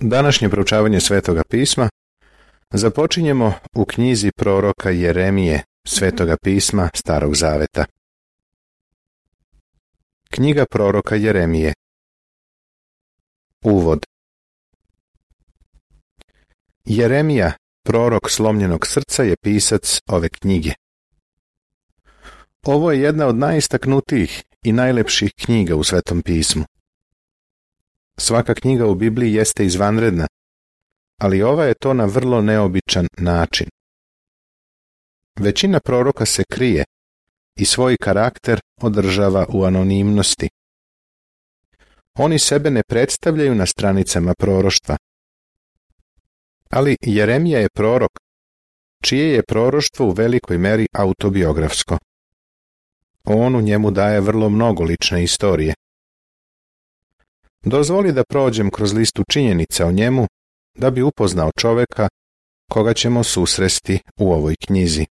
Današnje proučavanje Svetoga pisma započinjemo u knjizi proroka Jeremije, Svetoga pisma Starog zaveta. Knjiga proroka Jeremije. Uvod. Jeremija, prorok slomljenog srca, je pisac ove knjige. Ovo je jedna od najistaknutijih i najlepših knjiga u Svetom pismu. Svaka knjiga u Bibliji jeste izvanredna, ali ova je to na vrlo neobičan način. Većina proroka se krije i svoj karakter održava u anonimnosti. Oni sebe ne predstavljaju na stranicama proroštva. Ali Jeremija je prorok, čije je proroštvo u velikoj meri autobiografsko. On u njemu daje vrlo mnogo lične istorije. Dozvoli da prođem kroz listu činjenica o njemu, da bi upoznao čoveka koga ćemo susresti u ovoj knjizi.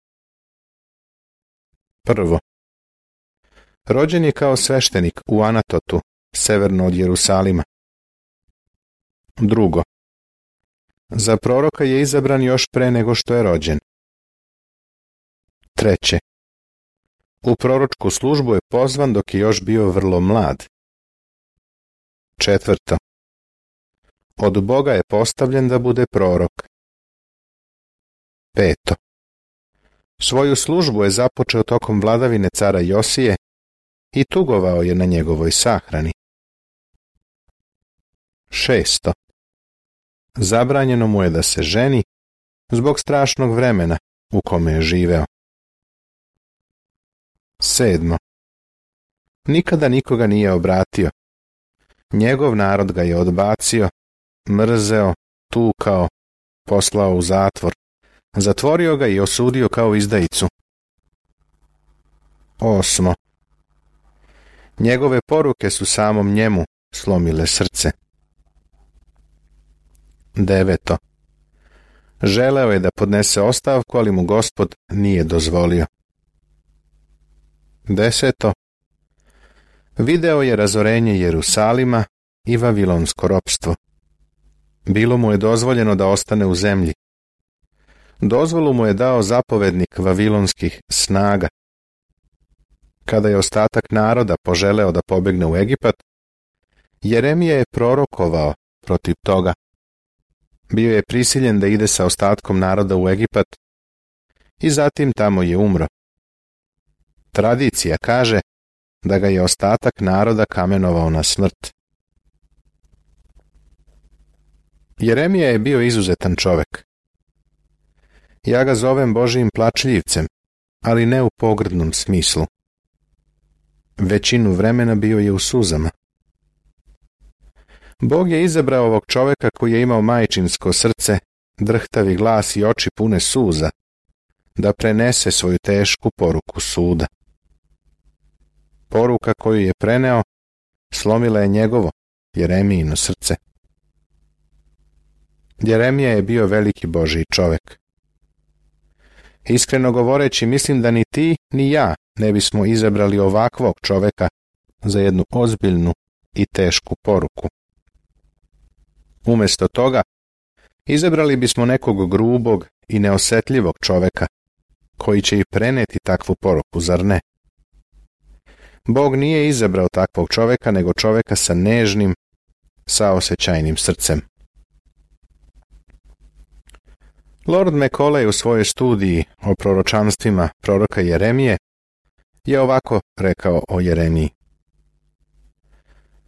Prvo. Rođen je kao sveštenik u Anatotu, severno od Jerusalima. Drugo. Za proroka je izabran još pre nego što je rođen. Treće. U proročku službu je pozvan dok je još bio vrlo mlad. Četvrto. Od Boga je postavljen da bude prorok. Peto. Svoju službu je započeo tokom vladavine cara Josije i tugovao je na njegovoj sahrani. Šesto. Zabranjeno mu je da se ženi zbog strašnog vremena u kome je živeo. Sedmo. Nikada nikoga nije obratio. Njegov narod ga je odbacio, mrzeo, tukao, poslao u zatvor, zatvorio ga i osudio kao izdajicu. Osmo. Njegove poruke su samom njemu slomile srce. Deveto. Želeo je da podnese ostavku, ali mu Gospod nije dozvolio. Deseto. Video je razorenje Jerusalima i vavilonsko ropstvo. Bilo mu je dozvoljeno da ostane u zemlji. Dozvolu mu je dao zapovednik vavilonskih snaga. Kada je ostatak naroda poželeo da pobegne u Egipat, Jeremija je prorokovao protiv toga. Bio je prisiljen da ide sa ostatkom naroda u Egipat i zatim tamo je umro. Tradicija kaže da ga je ostatak naroda kamenovao na smrt. Jeremija je bio izuzetan čovek. Ja ga zovem Božijim plačljivcem, ali ne u pogrdnom smislu. Većinu vremena bio je u suzama. Bog je izabrao ovog čoveka koji je imao majčinsko srce, drhtavi glas i oči pune suza, da prenese svoju tešku poruku suda. Poruka koju je preneo slomila je njegovo, Jeremijino srce. Jeremija je bio veliki Božji čovek. Iskreno govoreći, mislim da ni ti, ni ja ne bismo izabrali ovakvog čoveka za jednu ozbiljnu i tešku poruku. Umjesto toga, izabrali bismo nekog grubog i neosetljivog čoveka, koji će i preneti takvu poruku, zar ne? Bog nije izabrao takvog čoveka, nego čoveka sa nežnim, saosećajnim srcem. Lord Macaulay u svojoj studiji o proročanstvima proroka Jeremije je ovako rekao o Jeremiji.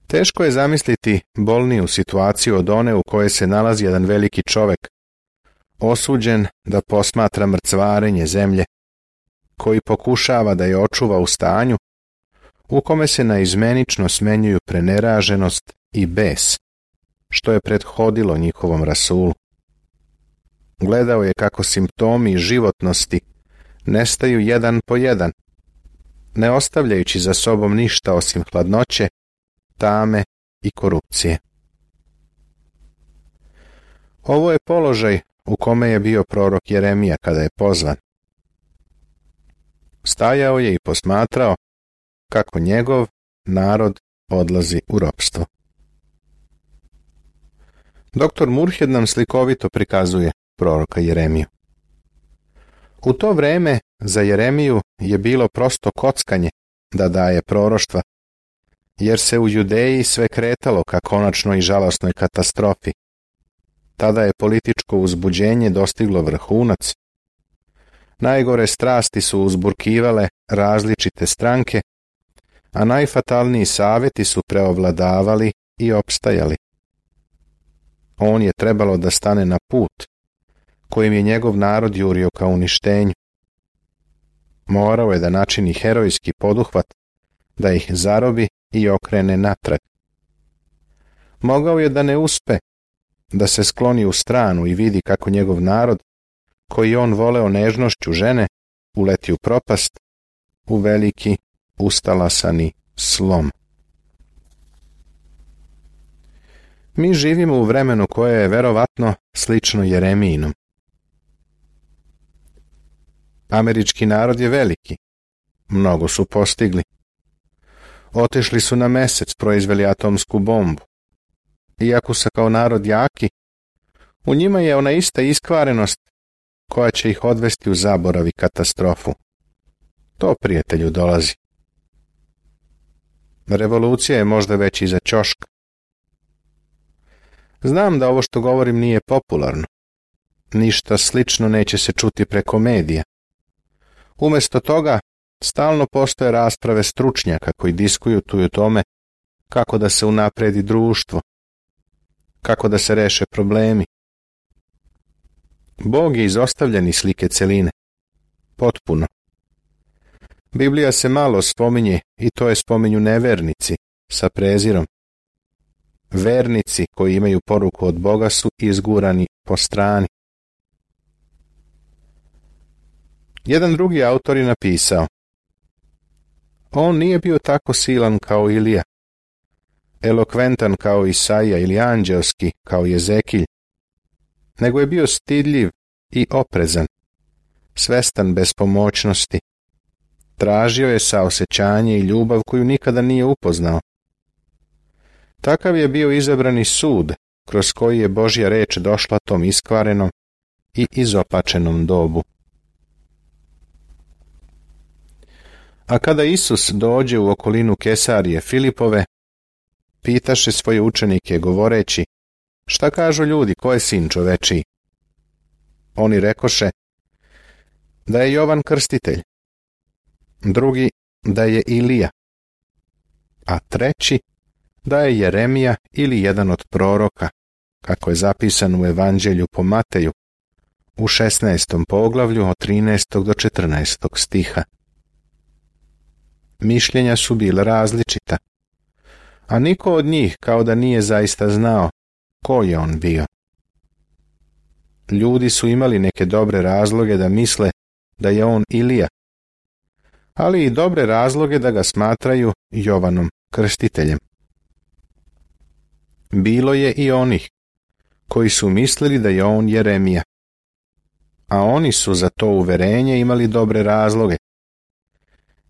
Teško je zamisliti bolniju situaciju od one u kojoj se nalazi jedan veliki čovek, osuđen da posmatra mrcvarenje zemlje, koji pokušava da je očuva u stanju u kome se naizmenično smenjuju preneraženost i bes, što je prethodilo njihovom rasulu. Gledao je kako simptomi životnosti nestaju jedan po jedan, ne ostavljajući za sobom ništa osim hladnoće, tame i korupcije. Ovo je položaj u kome je bio prorok Jeremija kada je pozvan. Stajao je i posmatrao kako njegov narod odlazi u ropstvo. Dr. Murhed nam slikovito prikazuje proroka Jeremiju. U to vreme za Jeremiju je bilo prosto kockanje da daje proroštva, jer se u Judeji sve kretalo ka konačnoj i žalosnoj katastrofi. Tada je političko uzbuđenje dostiglo vrhunac. Najgore strasti su uzburkivale različite stranke, a najfatalniji savjeti su preovladavali i opstajali. On je trebalo da stane na put kojim je njegov narod jurio ka uništenju. Morao je da načini herojski poduhvat, da ih zarobi i okrene natrag. Mogao je da ne uspe, da se skloni u stranu i vidi kako njegov narod, koji on voleo nežnošću žene, uleti u propast, u veliki, ustalasani slom. Mi živimo u vremenu koje je verovatno slično Jeremijinom. Američki narod je veliki, mnogo su postigli. Otišli su na Mesec, proizveli atomsku bombu. Iako su kao narod jaki, u njima je ona ista iskvarenost koja će ih odvesti u zaborav i katastrofu. To, prijatelju, dolazi. Revolucija je možda već iza ćoška. Znam da ovo što govorim nije popularno. Ništa slično neće se čuti preko medija. Umjesto toga, stalno postoje rasprave stručnjaka koji diskutuju o tome kako da se unapredi društvo, kako da se reše problemi. Bog je izostavljen iz slike celine. Potpuno. Biblija se malo spominje i to je spominju nevernici sa prezirom. Vernici koji imaju poruku od Boga su izgurani po strani. Jedan drugi autor je napisao: on nije bio tako silan kao Ilija, elokventan kao Isaija ili anđelski kao Jezekilj, nego je bio stidljiv i oprezan, svestan bespomoćnosti. Tražio je saosećanje i ljubav koju nikada nije upoznao. Takav je bio izabrani sud kroz koji je Božja reč došla tom iskvarenom i izopačenom dobu. A kada Isus dođe u okolinu Kesarije Filipove, pitaše svoje učenike govoreći: šta kažu ljudi, ko je sin čovečiji? Oni rekoše da je Jovan Krstitelj, drugi da je Ilija, a treći da je Jeremija ili jedan od proroka, kako je zapisano u Evanđelju po Mateju u 16. poglavlju od 13. do 14. stiha. Mišljenja su bila različita, a niko od njih kao da nije zaista znao ko je on bio. Ljudi su imali neke dobre razloge da misle da je on Ilija, ali i dobre razloge da ga smatraju Jovanom Krstiteljem. Bilo je i onih koji su mislili da je on Jeremija, a oni su za to uverenje imali dobre razloge,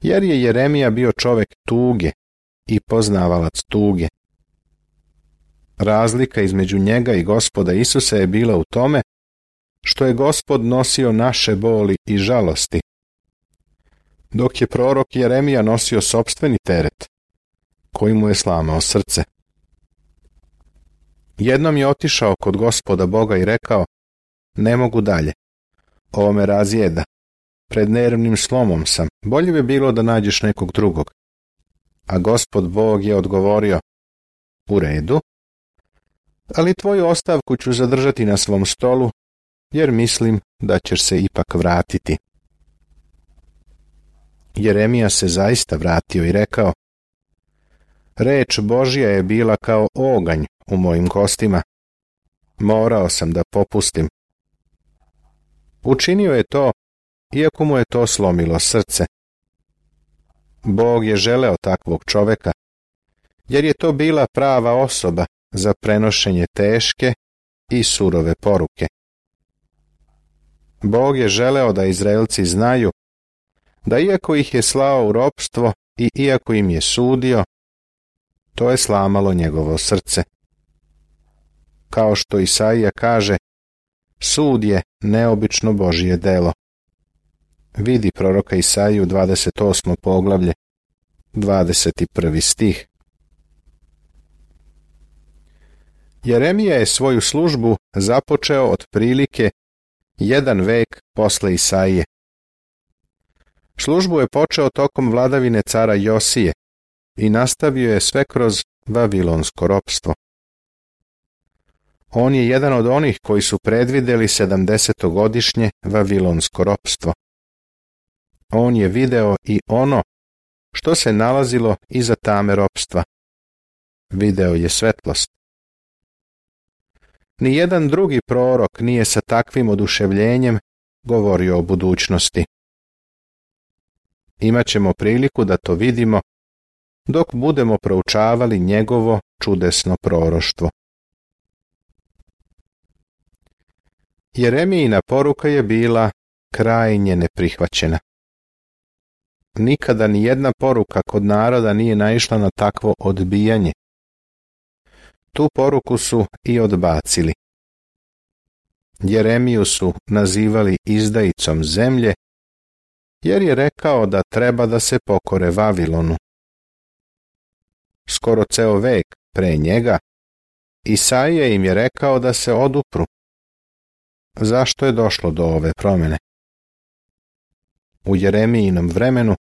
jer je Jeremija bio čovek tuge i poznavalac tuge. Razlika između njega i Gospoda Isusa je bila u tome što je Gospod nosio naše boli i žalosti, dok je prorok Jeremija nosio sopstveni teret, koji mu je slamao srce. Jednom je otišao kod Gospoda Boga i rekao: ne mogu dalje, ovo me razjeda, pred nervnim slomom sam, bolje bi bilo da nađeš nekog drugog. A Gospod Bog je odgovorio: u redu, ali tvoju ostavku ću zadržati na svom stolu, jer mislim da ćeš se ipak vratiti. Jeremija se zaista vratio i rekao: reč Božja je bila kao oganj u mojim kostima. Morao sam da popustim. Učinio je to, iako mu je to slomilo srce. Bog je želeo takvog čoveka, jer je to bila prava osoba za prenošenje teške i surove poruke. Bog je želeo da Izraelci znaju da iako ih je slao u ropstvo i iako im je sudio, to je slamalo njegovo srce. kao što Isaija kaže, sud je neobično Božje delo. Vidi proroka Isaiju 28. poglavlje, 21. stih. Jeremija je svoju službu započeo otprilike 1 vek posle Isaije. Službu je počeo tokom vladavine cara Josije i nastavio je sve kroz vavilonsko ropstvo. On je jedan od onih koji su predvideli 70-godišnje vavilonsko ropstvo. On je video i ono što se nalazilo iza tame ropstva. Video je svetlost. Nijedan drugi prorok nije sa takvim oduševljenjem govorio o budućnosti. Imaćemo priliku da to vidimo dok budemo proučavali njegovo čudesno proroštvo. Jeremijina poruka je bila krajnje neprihvaćena. Nikada ni jedna poruka kod naroda nije naišla na takvo odbijanje. Tu poruku su i odbacili. Jeremiju su nazivali izdajicom zemlje, jer je rekao da treba da se pokore Vavilonu. Skoro ceo vek pre njega, Isaija im je rekao da se odupru. Zašto je došlo do ove promjene? U Jeremijinom vremenu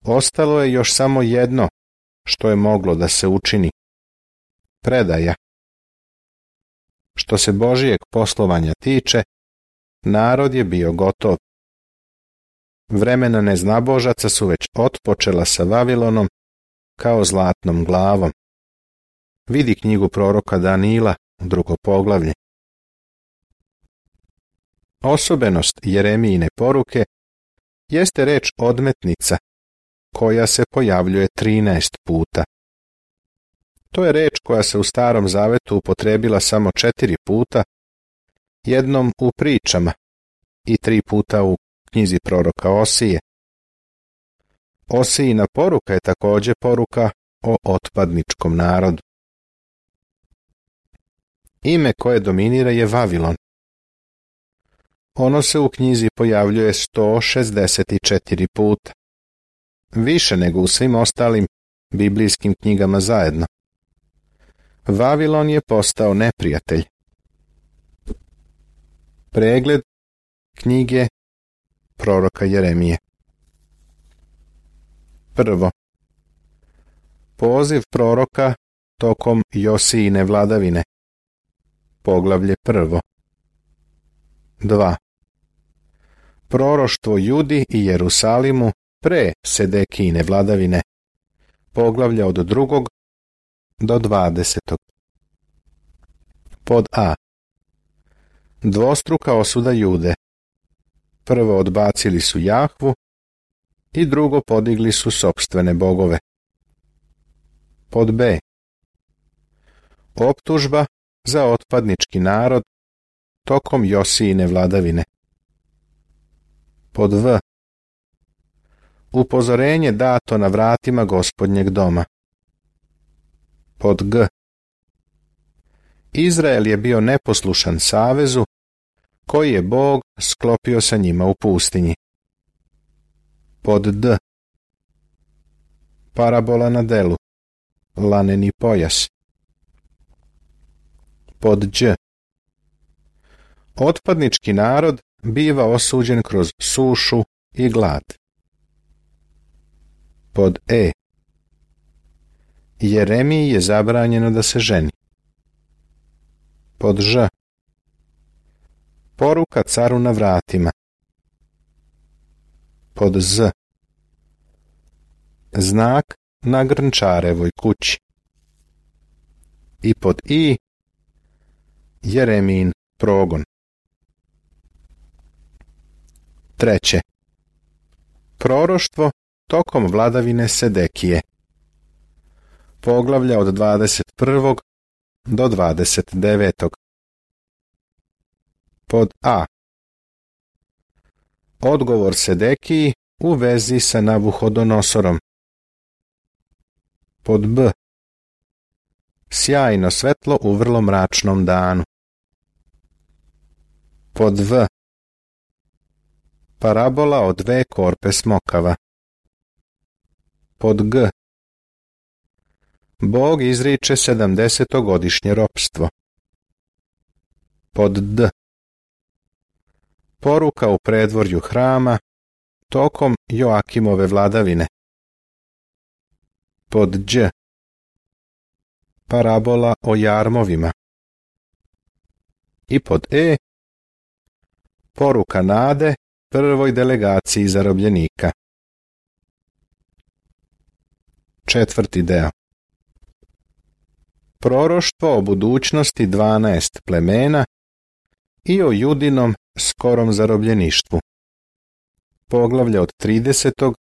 ostalo je još samo jedno što je moglo da se učini. Predaja. Što se Božijeg poslovanja tiče, narod je bio gotov. Vremena neznabožaca su već otpočela sa Vavilonom kao zlatnom glavom. Vidi knjigu proroka Danila, 2. poglavlje. Osobenost Jeremijine poruke jeste reč odmetnica, koja se pojavljuje 13 puta. To je reč koja se u Starom Zavetu upotrebila samo 4 puta, jednom u pričama i 3 puta u knjizi proroka Osije. Osijina poruka je također poruka o otpadničkom narodu. Ime koje dominira je Vavilon. Ono se u knjizi pojavljuje 164 puta. Više nego u svim ostalim biblijskim knjigama zajedno. Vavilon je postao neprijatelj. Pregled knjige proroka Jeremije. Prvo. Poziv proroka tokom Josijine vladavine. Poglavlje 1. 2. Proroštvo Judi i Jerusalimu pre Sedekijine vladavine. Poglavlja od 2. do 20. Pod A. Dvostruka osuda Jude. Prvo odbacili su Jahvu i drugo podigli su sopstvene bogove. Pod B. Optužba za otpadnički narod tokom Josijine vladavine. Pod V. Upozorenje dato na vratima Gospodnjeg doma. Pod G. Izrael je bio neposlušan savezu koji je Bog sklopio sa njima u pustinji. Pod D. Parabola na delu. Laneni pojas. Pod Đ. Otpadnički narod biva osuđen kroz sušu i glad. Pod E. Jeremiji je zabranjeno da se ženi. Pod Ž. Poruka caru na vratima. Pod Z. Znak na Grnčarevoj kući. I pod I. Jeremijin progon. Treće. Proroštvo tokom vladavine Sedekije. Poglavlja od 21. do 29. Pod A. Odgovor Sedekiji u vezi sa Navuhodonosorom. Pod B. sjajno svetlo u vrlo mračnom danu. Pod V. Parabola o 2 korpe smokava. Pod G. Bog izriče 70-godišnje ropstvo. Pod D. Poruka u predvorju hrama tokom Joakimove vladavine. Pod Đ. Parabola o jarmovima. I pod E. Poruka nade prvoj delegaciji zarobljenika. 4. deo. Proroštvo o budućnosti 12 plemena i o Judinom skorom zarobljeništvu. Poglavlje od 30.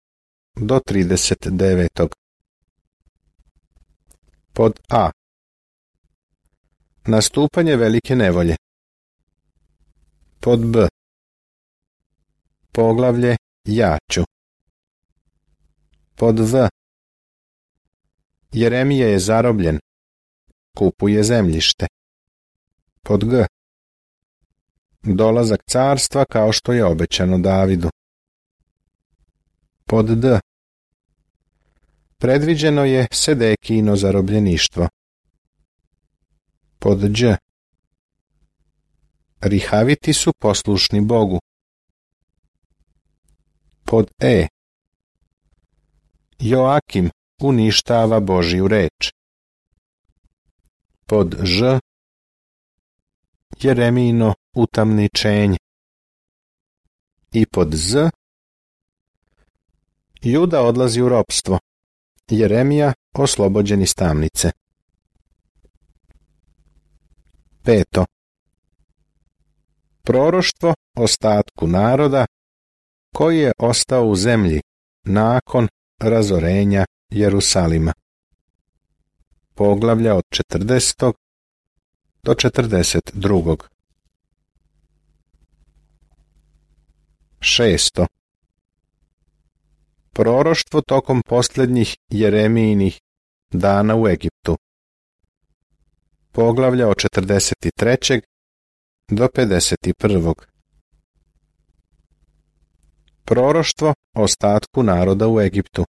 do 39. Pod A. Nastupanje velike nevolje. Pod B. Poglavlje Jaću. Pod V. Jeremija je zarobljen, kupuje zemljište. Pod G. Dolazak carstva kao što je obećano Davidu. Pod D. Predviđeno je Sedekijino zarobljeništvo. Pod Đ. Rihaviti su poslušni Bogu. Pod E. Joakim uništava Božju reč. Pod Ž. Jeremijino utamničenje. I pod Z. Juda odlazi u ropstvo. Jeremija oslobođen iz tamnice. 5. Proroštvo ostatku naroda koji je ostao u zemlji nakon razorenja Jerusalima. Poglavlja od 40. do 42. 6. Proroštvo tokom posljednjih Jeremijinih dana u Egiptu. Poglavlja od 43. do 51. Proroštvo ostatku naroda u Egiptu.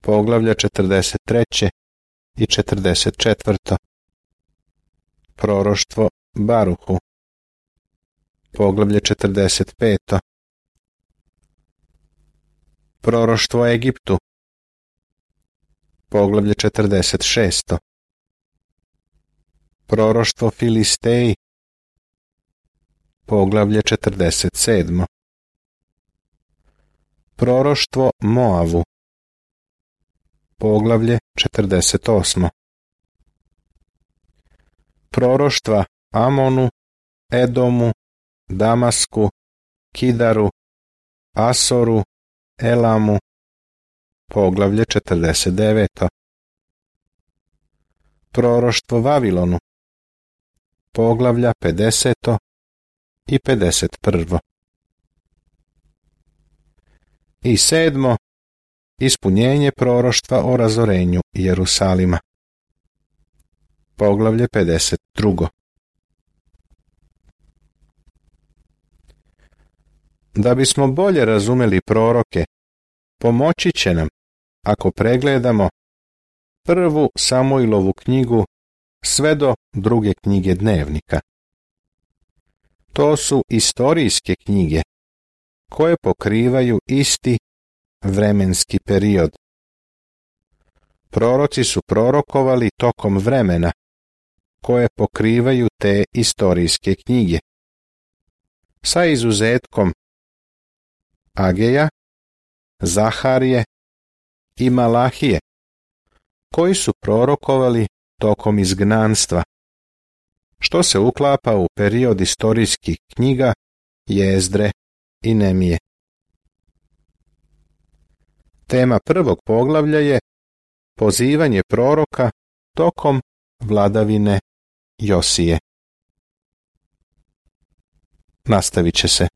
Poglavlja 43. i 44. Proroštvo Baruhu. Poglavlje 45. Proroštvo Egiptu. Poglavlje 46. Proroštvo Filisteji. Poglavlje 47. Proroštvo Moavu. Poglavlje 48. Proroštva Amonu, Edomu, Damasku, Kidaru, Asoru, Elamu. Poglavlje 49. Proroštvo Vavilonu. Poglavlja 50. i 51. I 7. Ispunjenje proroštva o razorenju Jerusalima. Poglavlje 52. Da bismo bolje razumeli proroke, pomoći će nam ako pregledamo 1. Samuilovu knjigu sve do 2. knjige Dnevnika. To su istorijske knjige koje pokrivaju isti vremenski period. Proroci su prorokovali tokom vremena koje pokrivaju te istorijske knjige, sa izuzetkom Ageja, Zaharije i Malahije, koji su prorokovali tokom izgnanstva, što se uklapa u period istorijskih knjiga Jezdre i Nemije. Tema 1. poglavlja je pozivanje proroka tokom vladavine Josije. Nastavit će se.